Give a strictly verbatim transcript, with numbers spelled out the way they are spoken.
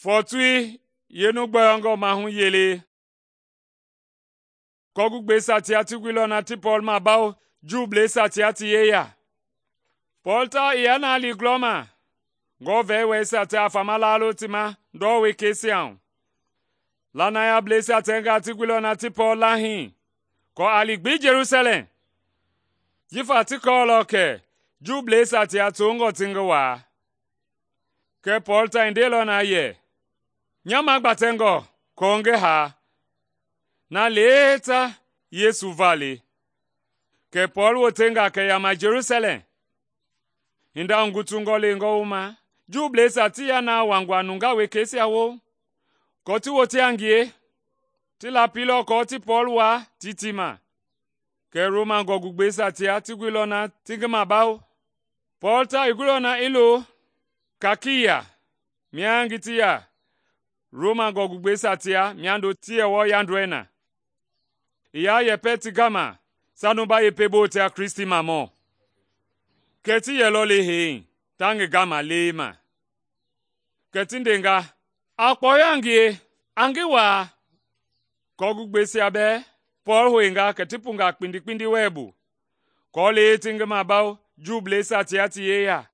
Fɔɔtui yeenu gbɔyɔngɔ maahu yele kɔɔgugbɛisia tia ti guilɔ na ti Pɔɔl mabawo Juuisia tia ti yeya. Pɔɔl tawao i yaa na li gulɔma, Ngewɔ vɛɛwɛisia ti afama laalo ti ma ndɔ wekeisia hu. Lanayableisia tɛngaa ti guilɔ na ti Pɔɔl lahii aako a li gbi Jelusalɛm, jifa ti kɔɔlɔ kɛ Juuisia tia tongɔ ti ngi waa. Kɛɛ Pɔɔl ta i ndeilɔ na yɛ, “Nya magbatɛngɔ aako ngi haa, na lee ta Yesu va le.” Kɛ Pɔɔl wotenga kɛ yama Jelusalɛm. Hinda hugutungɔ lengɔ wooma, Juuisia ti yaa na wuangua nungaa wekeisia woo, aako ti wote a ngie. Ti lapilɔ aako ti Pɔɔl waa tiiti ma. Kɛɛ Roma gɔɔgugbɛisia tia ti guilɔ na ti ngi mabawo. Pɔɔl ta i guilɔ na i lo Kakiya mia ngi ti ya Roma gɔɔgugbɛisia tia miando ti yɛ wɔɔ yandɔɛi na. I yaa yɛpɛ ti gama sanuba yekpe bo tia Kristimamɔ. Kɛ ti yɛlɔ le hee ta ngi gama leema. Kɛ ti ndenga, “A kpɔyɔ a ngie, a ngi waa.” Kɔɔgugbɛisia bɛɛ Pɔɔl hoinga kɛ ti punga kpindi kpindi wɛɛ bu, aako lee ti ngi mabawo Juuisia tia ti yeya.